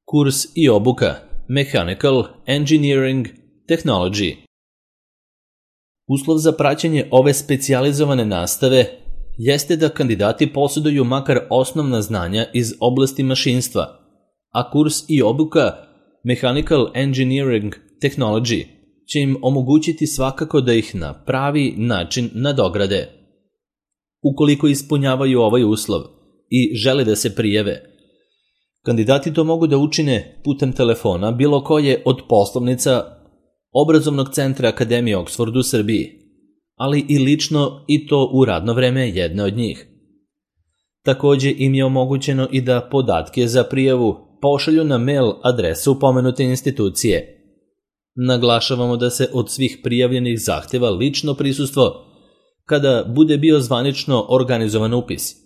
Kurs i obuka Mechanical Engineering Technology. Uslov za praćenje ove specijalizovane nastave jeste da kandidati posjeduju makar osnovna znanja iz oblasti mašinstva, a kurs i obuka Mechanical Engineering Technology će im omogućiti svakako da ih na pravi način nadograde. Ukoliko ispunjavaju ovaj uslov i žele da se prijave, kandidati to mogu da učine putem telefona bilo koje od poslovnica Obrazovnog centra Akademije Oxford u Srbiji, ali i lično i to u radno vreme jedne od njih. Takođe im je omogućeno i da podatke za prijavu pošalju na mail adresu pomenute institucije. Naglašavamo da se od svih prijavljenih zahteva lično prisustvo kada bude bio zvanično organizovan upis,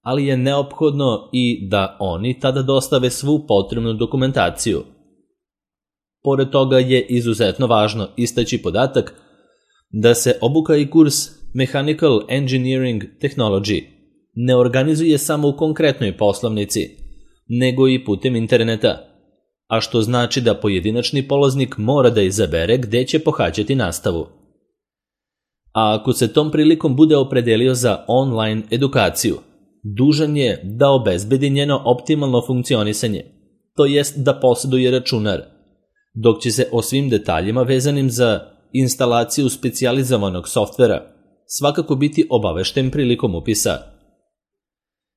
ali je neophodno i da oni tada dostave svu potrebnu dokumentaciju. Pored toga je izuzetno važno istaći podatak da se obuka i kurs Mechanical Engineering Technology ne organizuje samo u konkretnoj poslovnici, nego i putem interneta, a što znači da pojedinačni polaznik mora da izabere gde će pohađati nastavu. A ako se tom prilikom bude opredelio za online edukaciju, dužan je da obezbedi njeno optimalno funkcionisanje, to jest da posjeduje računar, dok će se o svim detaljima vezanim za instalaciju specijalizovanog softvera svakako biti obavešten prilikom upisa.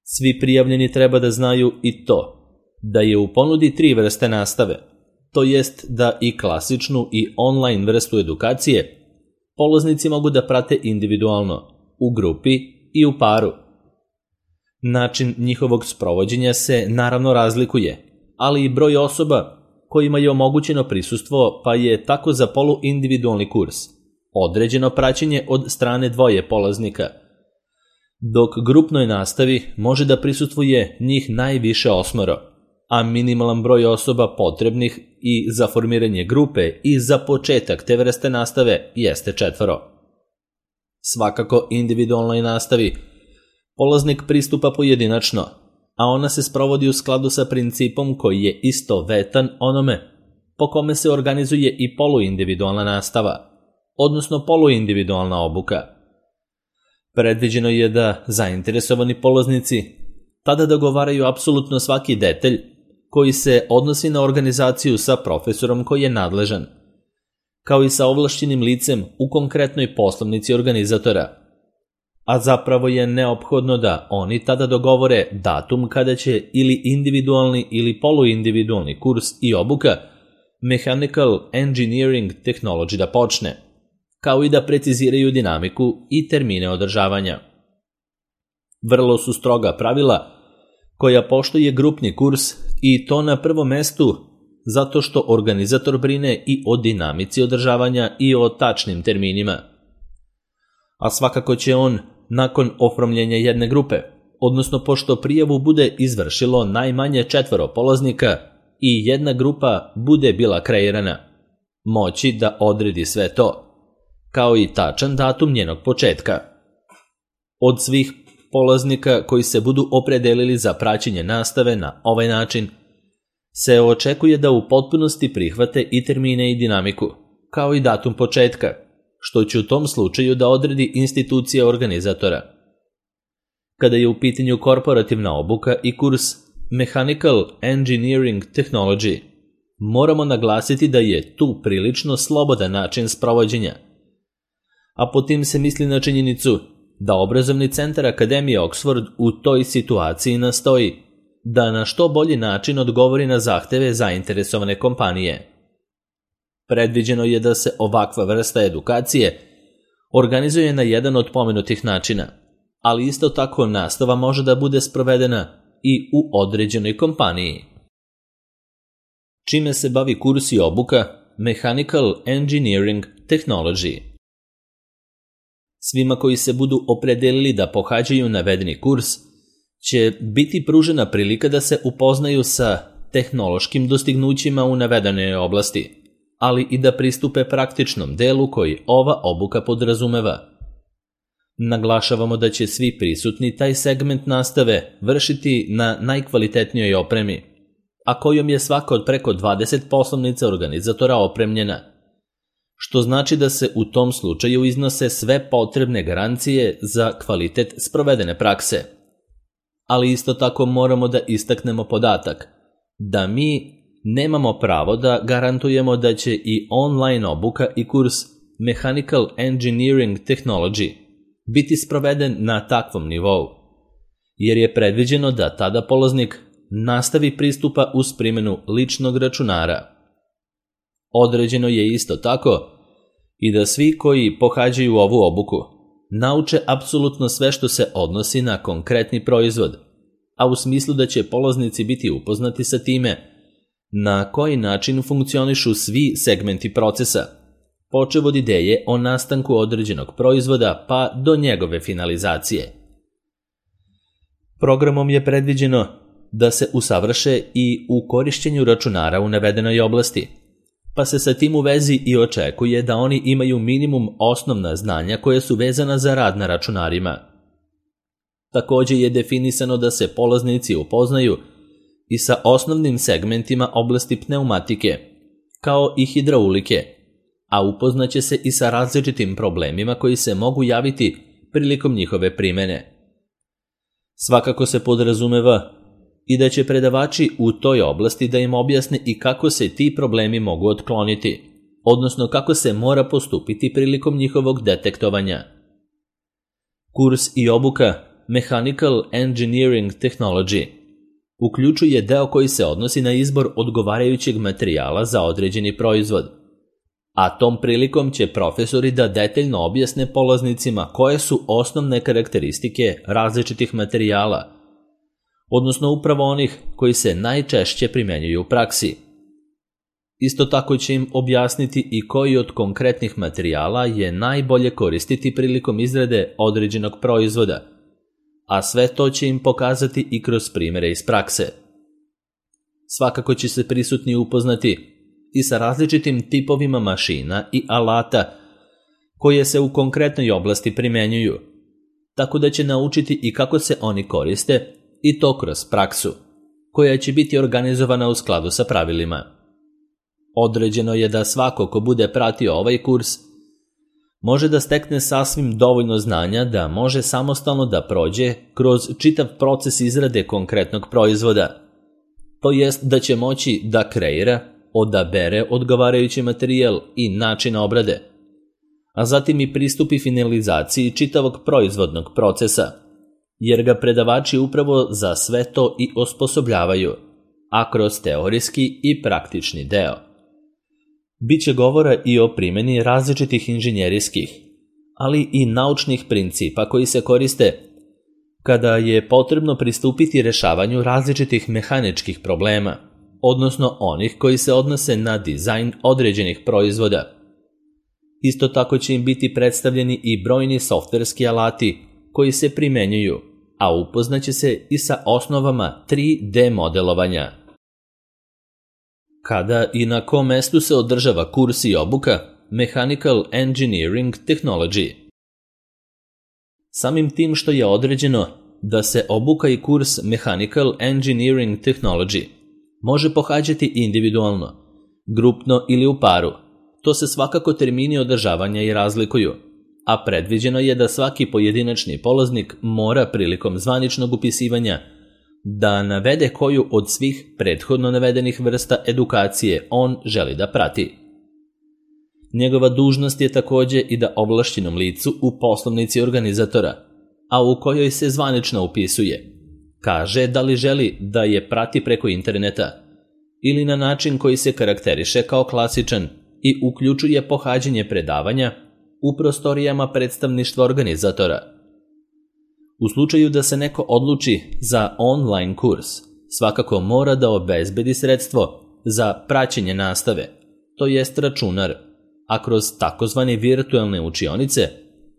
Svi prijavljeni treba da znaju i to da je u ponudi 3 vrste nastave, to jest da i klasičnu i online vrstu edukacije polaznici mogu da prate individualno, u grupi i u paru. Način njihovog sprovođenja se naravno razlikuje, ali i broj osoba kojima je omogućeno prisustvo, pa je tako za poluindividualni kurs određeno praćenje od strane 2 polaznika, dok grupnoj nastavi može da prisustvuje njih najviše 8, a minimalan broj osoba potrebnih i za formiranje grupe i za početak te vrste nastave jeste 4. Svakako individualnoj nastavi polaznik pristupa pojedinačno, a ona se sprovodi u skladu sa principom koji je istovetan onome po kome se organizuje i poluindividualna nastava, odnosno poluindividualna obuka. Predviđeno je da zainteresovani polaznici tada dogovaraju apsolutno svaki detalj koji se odnosi na organizaciju sa profesorom koji je nadležan, kao i sa ovlašćenim licem u konkretnoj poslovnici organizatora, a zapravo je neophodno da oni tada dogovore datum kada će ili individualni ili poluindividualni kurs i obuka Mechanical Engineering Technology da počne, kao i da preciziraju dinamiku i termine održavanja. Vrlo su stroga pravila koja poštuje grupni kurs i to na prvom mestu zato što organizator brine i o dinamici održavanja i o tačnim terminima. A svakako će on, nakon oformljenja jedne grupe, odnosno pošto prijavu bude izvršilo najmanje 4 polaznika i jedna grupa bude bila kreirana, moći da odredi sve to, kao i tačan datum njenog početka. Od svih polaznika koji se budu opredelili za praćenje nastave na ovaj način, se očekuje da u potpunosti prihvate i termine i dinamiku, kao i datum početka, što će u tom slučaju da odredi institucija organizatora. Kada je u pitanju korporativna obuka i kurs Mechanical Engineering Technology, moramo naglasiti da je tu prilično slobodan način sprovođenja, a po tim se misli na činjenicu da Obrazovni centar Akademije Oxford u toj situaciji nastoji da na što bolji način odgovori na zahteve zainteresovane kompanije. Predviđeno je da se ovakva vrsta edukacije organizuje na jedan od pomenutih načina, ali isto tako nastava može da bude sprovedena i u određenoj kompaniji. Čime se bavi kurs i obuka Mechanical Engineering Technology? Svima koji se budu opredelili da pohađaju navedeni kurs će biti pružena prilika da se upoznaju sa tehnološkim dostignućima u navedenoj oblasti, ali i da pristupe praktičnom delu koji ova obuka podrazumeva. Naglašavamo da će svi prisutni taj segment nastave vršiti na najkvalitetnijoj opremi, a kojom je svaka od preko 20 poslovnica organizatora opremljena, što znači da se u tom slučaju iznose sve potrebne garancije za kvalitet sprovedene prakse. Ali isto tako moramo da istaknemo podatak da mi nemamo pravo da garantujemo da će i online obuka i kurs Mechanical Engineering Technology biti sproveden na takvom nivou, jer je predviđeno da tada polaznik nastavi pristupa uz primjenu ličnog računara. Određeno je isto tako i da svi koji pohađaju ovu obuku nauče apsolutno sve što se odnosi na konkretni proizvod, a u smislu da će polaznici biti upoznati sa time na koji način funkcionišu svi segmenti procesa, počev od ideje o nastanku određenog proizvoda pa do njegove finalizacije. Programom je predviđeno da se usavrše i u korišćenju računara u navedenoj oblasti, pa se sa tim u vezi i očekuje da oni imaju minimum osnovna znanja koje su vezana za rad na računarima. Također je definisano da se polaznici upoznaju i sa osnovnim segmentima oblasti pneumatike, kao i hidraulike, a upoznaće se i sa različitim problemima koji se mogu javiti prilikom njihove primjene. Svakako se podrazumeva i da će predavači u toj oblasti da im objasne i kako se ti problemi mogu otkloniti, odnosno kako se mora postupiti prilikom njihovog detektovanja. Kurs i obuka Mechanical Engineering Technology uključuje deo koji se odnosi na izbor odgovarajućeg materijala za određeni proizvod, a tom prilikom će profesori da detaljno objasne polaznicima koje su osnovne karakteristike različitih materijala, odnosno upravo onih koji se najčešće primjenjuju u praksi. Isto tako će im objasniti i koji od konkretnih materijala je najbolje koristiti prilikom izrade određenog proizvoda, a sve to će im pokazati i kroz primjere iz prakse. Svakako će se prisutni upoznati i sa različitim tipovima mašina i alata koje se u konkretnoj oblasti primjenjuju, tako da će naučiti i kako se oni koriste i to kroz praksu, koja će biti organizovana u skladu sa pravilima. Određeno je da svako ko bude pratio ovaj kurs može da stekne sasvim dovoljno znanja da može samostalno da prođe kroz čitav proces izrade konkretnog proizvoda, to jest da će moći da kreira, odabere odgovarajući materijal i način obrade, a zatim i pristupi finalizaciji čitavog proizvodnog procesa, jer ga predavači upravo za sve to i osposobljavaju, a kroz teorijski i praktični deo. Biće govora i o primjeni različitih inženjerijskih, ali i naučnih principa koji se koriste kada je potrebno pristupiti rešavanju različitih mehaničkih problema, odnosno onih koji se odnose na dizajn određenih proizvoda. Isto tako će im biti predstavljeni i brojni softverski alati koji se primenjuju, a upoznaće se i sa osnovama 3D modelovanja. Kada i na kom mestu se održava kurs i obuka Mechanical Engineering Technology? Samim tim što je određeno da se obuka i kurs Mechanical Engineering Technology može pohađati individualno, grupno ili u paru, to se svakako termini održavanja i razlikuju, a predviđeno je da svaki pojedinačni polaznik mora prilikom zvaničnog upisivanja da navede koju od svih prethodno navedenih vrsta edukacije on želi da prati. Njegova dužnost je također i da ovlašćenom licu u poslovnici organizatora, a u kojoj se zvanično upisuje, kaže da li želi da je prati preko interneta ili na način koji se karakteriše kao klasičan i uključuje pohađanje predavanja u prostorijama predstavništva organizatora. U slučaju da se neko odluči za online kurs, svakako mora da obezbedi sredstvo za praćenje nastave, to jest računar, a kroz takozvane virtualne učionice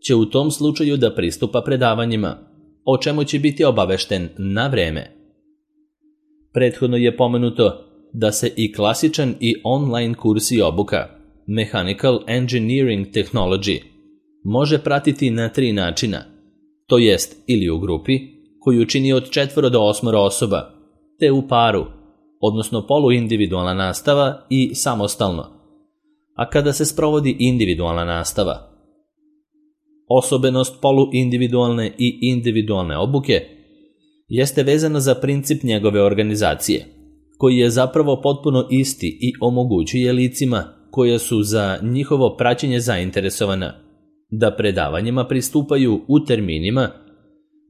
će u tom slučaju da pristupa predavanjima, o čemu će biti obavešten na vreme. Prethodno je pomenuto da se i klasičan i online kurs i obuka Mechanical Engineering Technology može pratiti na 3 načina, to jest ili u grupi, koju čini od 4 do 8 osoba, te u paru, odnosno poluindividualna nastava i samostalno. A kada se sprovodi individualna nastava? Osobenost poluindividualne i individualne obuke jeste vezana za princip njegove organizacije, koji je zapravo potpuno isti i omogućuje licima koja su za njihovo praćenje zainteresovana da predavanjima pristupaju u terminima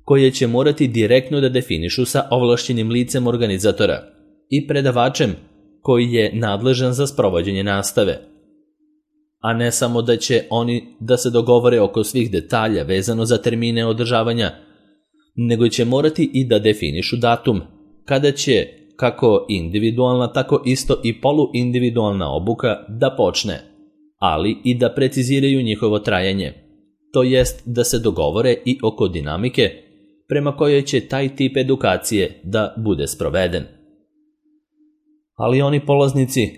koje će morati direktno da definišu sa ovlašćenim licem organizatora i predavačem koji je nadležan za sprovođenje nastave, a ne samo da će oni da se dogovore oko svih detalja vezano za termine održavanja, nego će morati i da definišu datum kada će kako individualna, tako isto i poluindividualna obuka da počne, ali i da preciziraju njihovo trajanje, to jest da se dogovore i oko dinamike prema kojoj će taj tip edukacije da bude sproveden. Ali oni polaznici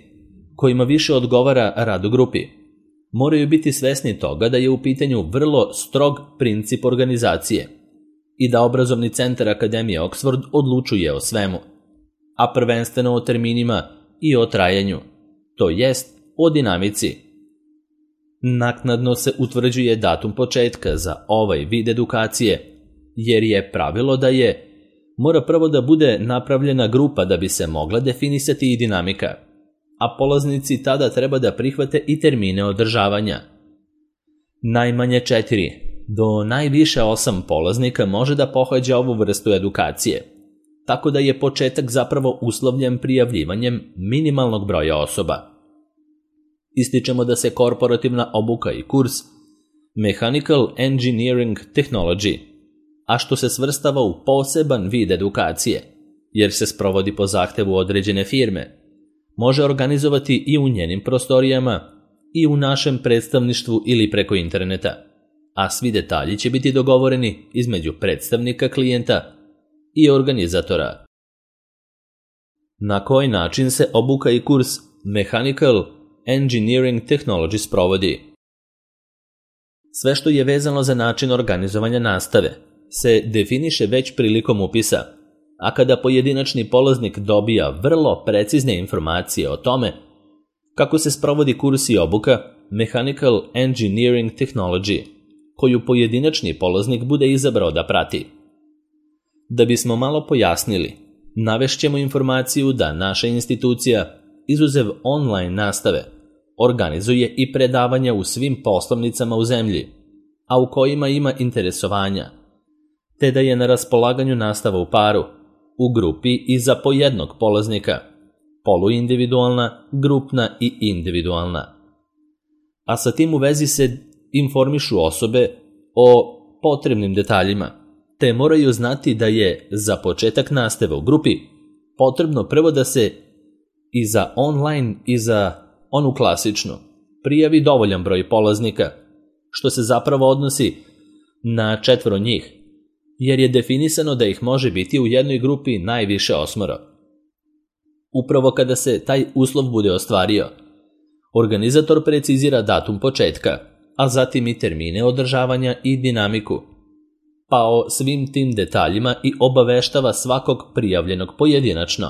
kojima više odgovara rad u grupi moraju biti svesni toga da je u pitanju vrlo strog princip organizacije i da obrazovni centar Akademije Oxford odlučuje o svemu, a prvenstveno o terminima i o trajanju, to jest o dinamici. Naknadno se utvrđuje datum početka za ovaj vid edukacije, jer je pravilo da mora prvo da bude napravljena grupa da bi se mogla definisati i dinamika, a polaznici tada treba da prihvate i termine održavanja. Najmanje 4 do najviše 8 polaznika može da pohađa ovu vrstu edukacije, tako da je početak zapravo uslovljen prijavljivanjem minimalnog broja osoba. Ističemo da se korporativna obuka i kurs Mechanical Engineering Technology, a što se svrstava u poseban vid edukacije, jer se sprovodi po zahtevu određene firme, može organizovati i u njenim prostorijama i u našem predstavništvu ili preko interneta, a svi detalji će biti dogovoreni između predstavnika klijenta i organizatora. Na koji način se obuka i kurs Mechanical Engineering Technology sprovodi? Sve što je vezano za način organizovanja nastave se definiše već prilikom upisa, a kada pojedinačni polaznik dobija vrlo precizne informacije o tome kako se sprovodi kurs i obuka Mechanical Engineering Technology, koju pojedinačni polaznik bude izabrao da prati. Da bismo malo pojasnili, navešćemo informaciju da naša institucija, izuzev online nastave, organizuje i predavanja u svim poslovnicama u zemlji, a u kojima ima interesovanja, te da je na raspolaganju nastava u paru, u grupi i za po jednog polaznika, poluindividualna, grupna i individualna. A sa tim u vezi se informišu osobe o potrebnim detaljima, te moraju znati da je za početak nastave u grupi potrebno prvo da se i za online i za onu klasičnu prijavi dovoljan broj polaznika, što se zapravo odnosi na 4 njih, jer je definisano da ih može biti u jednoj grupi najviše 8. Upravo kada se taj uslov bude ostvario, organizator precizira datum početka, a zatim i termine održavanja i dinamiku, pa o svim tim detaljima i obaveštava svakog prijavljenog pojedinačno.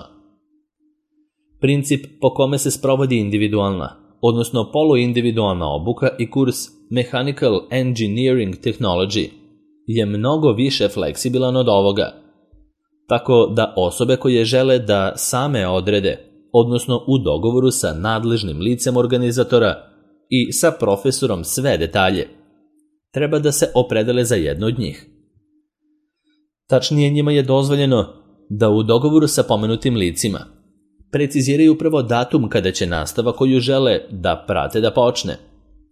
Princip po kome se sprovodi individualna, odnosno poluindividualna obuka i kurs Mechanical Engineering Technology je mnogo više fleksibilan od ovoga, tako da osobe koje žele da same odrede, odnosno u dogovoru sa nadležnim licem organizatora i sa profesorom sve detalje, treba da se opredele za jedno od njih. Tačnije, njima je dozvoljeno da u dogovoru sa pomenutim licima preciziraju prvo datum kada će nastava koju žele da prate da počne,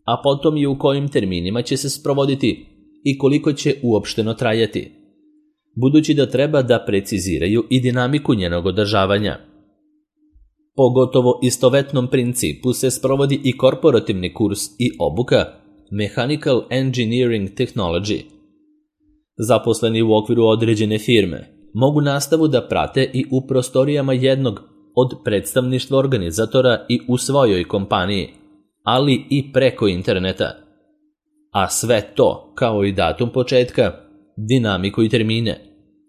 a potom i u kojim terminima će se sprovoditi i koliko će uopšteno trajati, budući da treba da preciziraju i dinamiku njenog održavanja. Po gotovo istovetnom principu se sprovodi i korporativni kurs i obuka Mechanical Engineering Technology. Zaposleni u okviru određene firme mogu nastavu da prate i u prostorijama jednog od predstavništva organizatora i u svojoj kompaniji, ali i preko interneta. A sve to, kao i datum početka, dinamiku i termine,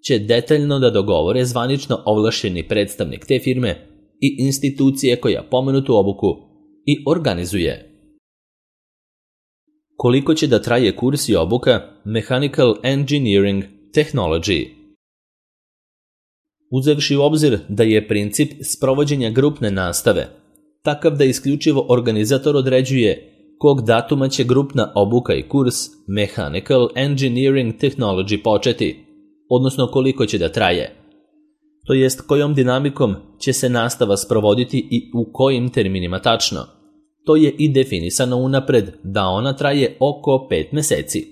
će detaljno da dogovore zvanično ovlašćeni predstavnik te firme i institucije koja pomenutu obuku i organizuje. Koliko će da traje kurs i obuka Mechanical Engineering Technology? Uzevši u obzir da je princip sprovođenja grupne nastave takav da isključivo organizator određuje kog datuma će grupna obuka i kurs Mechanical Engineering Technology početi, odnosno koliko će da traje, to jest kojom dinamikom će se nastava sprovoditi i u kojim terminima tačno. To je i definisano unapred da ona traje oko 5 meseci.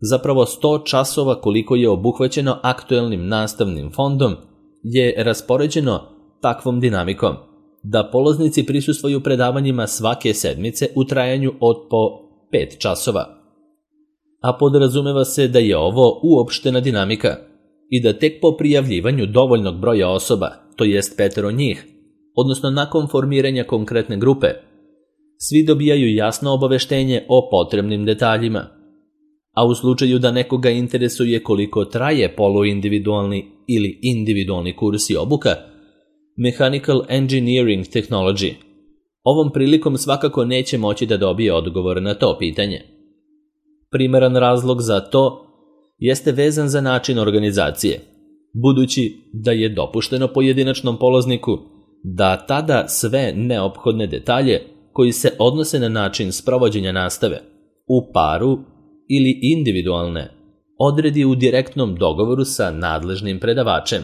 Zapravo 100 časova koliko je obuhvaćeno aktuelnim nastavnim fondom je raspoređeno takvom dinamikom da polaznici prisustvuju predavanjima svake sedmice u trajanju od po 5 časova. A podrazumeva se da je ovo uopštena dinamika i da tek po prijavljivanju dovoljnog broja osoba, to jest 5 njih, odnosno nakon formiranja konkretne grupe, svi dobijaju jasno obaveštenje o potrebnim detaljima. A u slučaju da nekoga interesuje koliko traje poluindividualni ili individualni kurs i obuka Mechanical Engineering Technology, ovom prilikom svakako neće moći da dobije odgovor na to pitanje. Primeran razlog za to jeste vezan za način organizacije, budući da je dopušteno pojedinačnom polazniku da tada sve neophodne detalje koji se odnose na način sprovođenja nastave u paru ili individualne odredi u direktnom dogovoru sa nadležnim predavačem.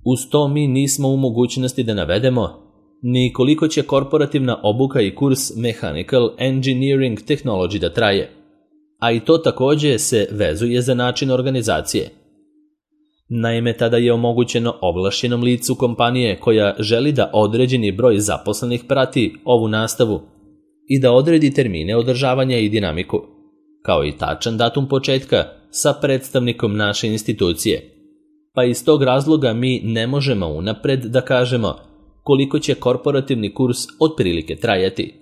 Uz to mi nismo u mogućnosti da navedemo ni koliko će korporativna obuka i kurs Mechanical Engineering Technology da traje, a i to također se vezuje za način organizacije. Naime, tada je omogućeno ovlašćenom licu kompanije koja želi da određeni broj zaposlenih prati ovu nastavu i da odredi termine održavanja i dinamiku, kao i tačan datum početka sa predstavnikom naše institucije. Pa iz tog razloga mi ne možemo unapred da kažemo koliko će korporativni kurs otprilike trajati,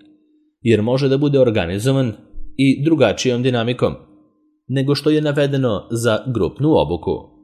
jer može da bude organizovan i drugačijom dinamikom nego što je navedeno za grupnu obuku.